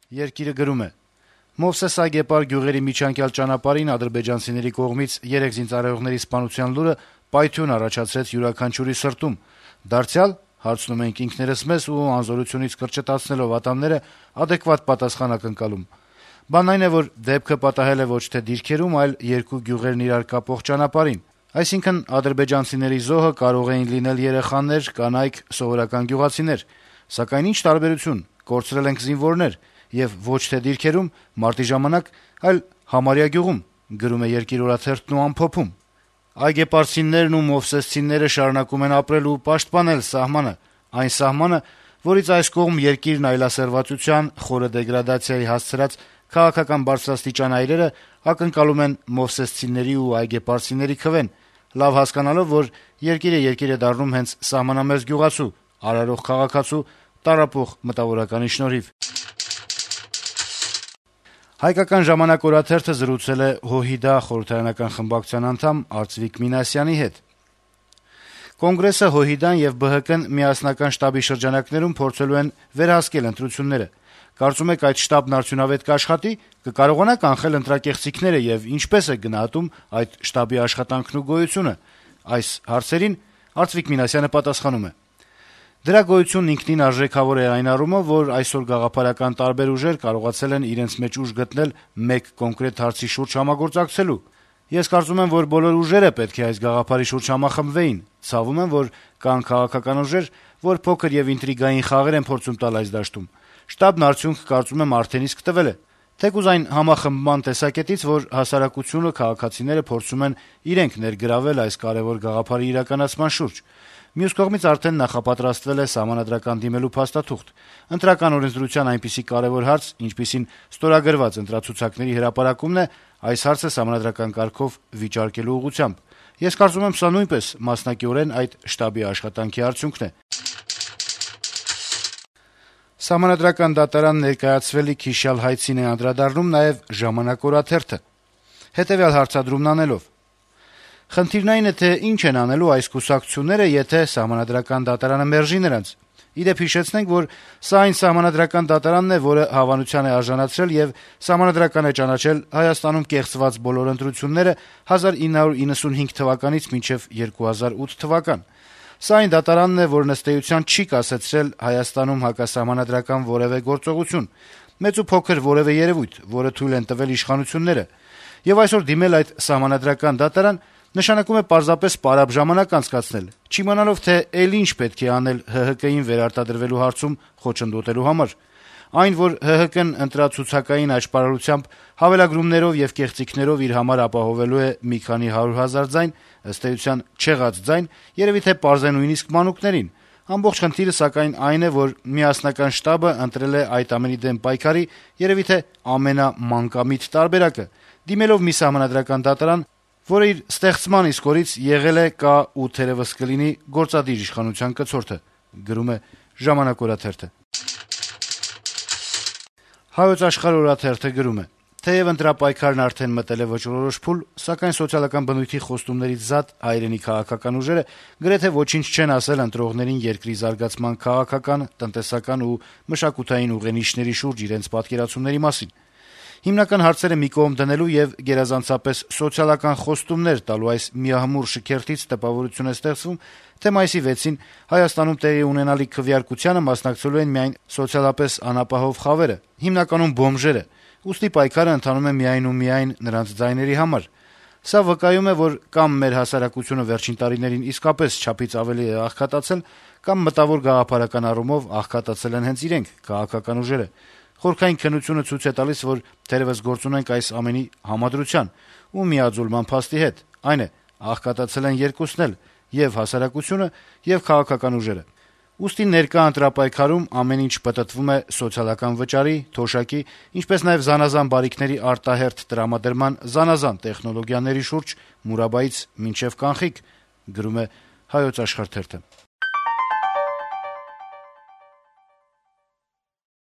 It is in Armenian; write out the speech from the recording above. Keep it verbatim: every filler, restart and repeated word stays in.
Երկիրը գրում է. Մովսես Այգեպար գյուղերի միջանկյալ ճանապարհին ադրբեջանցիների կողմից երեք զինծառայողների սպանության լուրը պայթյուն առաջացրեց յուրաքանչյուրի սրտում։ Դարձյալ, հարցնում ենք ինքներս մեզ ու անզորությունից կրճտացնելով ատամները adekvat պատասխան ակնկալում։ Բանն այն է, որ դեպքը պատահել է ոչ թե դիրքերում, այլ երկու գյուղերն իրար կապող ճանապարհին։ Այսինքն ադրբեջանցիների զոհը կարող էին լինել երեխաներ, կանայք, սովորական գյուղացիներ։ Սակայն ինչ տարբերություն, կորցրել ենք զինվորներ եւ ոչ թե դիրքերում, մարտի ժամանակ, այլ համարյա գյուղում, գրում է Երկիր օրաթերթն ու ամփոփում։ Այգեպարցիներն ու մովսեսցիները շարունակում են ապրել ու պաշտպանել սահմանը, այն սահմանը, որից այս կողմ երկիրն այլասերվածության, խորը դեգրադացիայի հասցրած քաղաքական բարձրաստիճան այրերը ակնկալում են մովսեսցիների ու այգեպարցիների քվեն, լավ հասկանալով, որ երկիրը երկիր է դառնում հենց սահմանամերձ գյուղացու, արարող քաղաքացու, տառապող մտավորականի շնորհիվ։ Հայկական ժամանակ օրաթերթը զրուցել է ՀՅԴ խորհրդարանական խմբակցության անդամ Արծվիկ Մինասյանի հետ։ Կոնգրեսը, ՀՅԴ-ն եւ ԲՀԿ-ն միասնական շտաբի շրջանակներում փորձելու են վերահասկել ընտրությունները։ Կարծում եք այդ շտաբն արդյունավետ կաշխատի, կկարողանա կանխել ընտրակեղծիքները եւ ինչպես է գնահատում այդ շտաբի աշխատանքն ու գոյությունը։ Այս հարցերին Արծվիկ Մինասյանը պատասխանում է. Դրա գոյությունն ինքնին արժեքավոր է այն առումով, որ այսօր գաղափարական տարբեր ուժեր կարողացել են իրենց մեջ ուժ գտնել մեկ կոնկրետ հարցի շուրջ համագործակցելու։ Ես կարծում եմ, որ բոլոր ուժերը պետք է այս գաղափարի շուրջ համախմբվեին։ Ցավում եմ, որ կան քաղաքական ուժեր, որ փոքր եւ ինտրիգային խաղեր են փորձում տալ այս դաշտում։ Շտաբն արդյունք, կարծում եմ, արդեն իսկ տվել է։ Թեկուզ այն համախմբման տեսակետից, որ հասարակությունը, քաղաքացիները փորձում են իրենք ներգրավել այս կարեւոր գաղափարի իրականացման շուրջ։ Մյուս կողմից արդեն նախապատրաստվել է սահմանադրական դիմելու փաստաթուղթ։ Ընտրական օրենսդրության այնպիսի կարեւոր հարց, ինչպիսին ստորագրված ընտրացուցակների հրապարակումն է, այս հարցը սահմանադրական կարգով վիճարկելու ուղղությամբ։ Ես կարծում եմ, սա նույնպես մասնակիորեն այդ շտաբի աշխատանքի արդյունքն է։ Սահմանադրական դատարան ներկայացվելիք հիշյալ հայցին է անդրադառնում նաեւ «Ժամանակ» օրաթերթը։ Հետեւյալ հարցադրումն անելով. Խնդիրն այն է, թե ինչ են անելու այս կուսակցությունները, եթե սահմանադրական դատարանը մերժի նրանց։ Ի դեպ հիշեցնենք, որ սա այն սահմանադրական դատարանն է, որը հավանության է արժանացրել եւ սահմանադրական է ճանաչել Հայաստանում կեղծված բոլոր ընտրությունները հազար ինը հարյուր իննսունհինգ թվականից մինչեւ երկու հազար ութ թվական։ Սա այն դատարանն է, որն ըստ էության չի կասեցրել Հայաստանում հակասահմանադրական որեւէ գործողություն, մեծ ու փոքր որեւէ երևույթ, որը թույլ են տվել իշխանությունները։ Եվ այսօր դիմել այդ սահմանադրական դատարան նշանակում է պարզապես պարապ ժամանակ անցկացնել, չիմանալով, թե էլ ինչ պետք է անել ՀՀԿ-ին վերարտադրվելու հարցում խոչընդոտելու համար։ Այն, որ ՀՀԿ-ն ընտրացուցակային աճպարարությամբ, հավելագրումներով եւ կեղծիքներով իր համար ապահովելու է մի քանի հարյուր հազար ձայն, ըստ էության չեղած ձայն, երեւի թե պարզ է նույնիսկ մանուկներին։ Ամբողջ խնդիրը սակայն այն է, որ միասնական շտաբը ընտրել է այդ ամենի դեմ պայքարի երեւի թե ամենամանկամիտ տարբերակը, դիմելով մի սահմանադրական դատարան, որը իր ստեղծման իսկ օրից եղել է, կա ու թերեւս կլինի գործադիր իշխանության կցորդը, գրում է «Ժամանակ» օրաթերթը։ «Հայոց Աշխարհ» օրաթերթը գրում է. թեև ընտրապայքարն արդեն մտել է վճռորոշ փուլ, սակայն սոցիալական բնույթի խոստումներից զատ հայրենի քաղաքական ուժերը գրեթե ոչինչ չեն ասել ընտրողներին երկրի զարգացման քաղաքական, տնտեսական ու մշակութային ուղենիշների շուրջ իրենց պատկերացումների մասին։ Հիմնական հարցերը մի կողմ դնելու եւ գերազանցապես սոցիալական խոստումներ տալու այս միահմուռ շքերթից տպավորություն է ստեղծվում, թե մայիսի վեցին Հայաստանում տեղի ունենալիք քվեարկությանը մասնակցելու են միայն սոցիալապես անապահով խավերը, հիմնականում բոմժերը, ուստի պայքարը ընթանում է միայն ու միայն նրանց ձայների համար։ Սա վկայում է, որ կամ մեր հասարակությունը վերջին տարիներին իսկապես չափից ավելի է աղքատացել, կամ մտավոր գաղափարական առումով աղքատացել են հենց իրենք, քաղաքական ուժերը։ Խորքային քննությունը ցույց է տալիս, որ թերևս գործ ունենք այս ամենի համադրության ու միաձուլման փաստի հետ, այն է, աղքատացել են երկուսն էլ, եւ հասարակությունը, եւ քաղաքական ուժերը։ Ուստի ներկա ընտրապայքարում ամեն ինչ պտտվում է սոցիալական վճարի, թոշակի, ինչպես նաեւ զանազան բարիքների արտահերթ տրամադրման զանազան տեխնոլոգիաների շուրջ մուրաբայից մինչեւ կանխիկ, գրում է «Հայոց Աշխարհ» թերթը։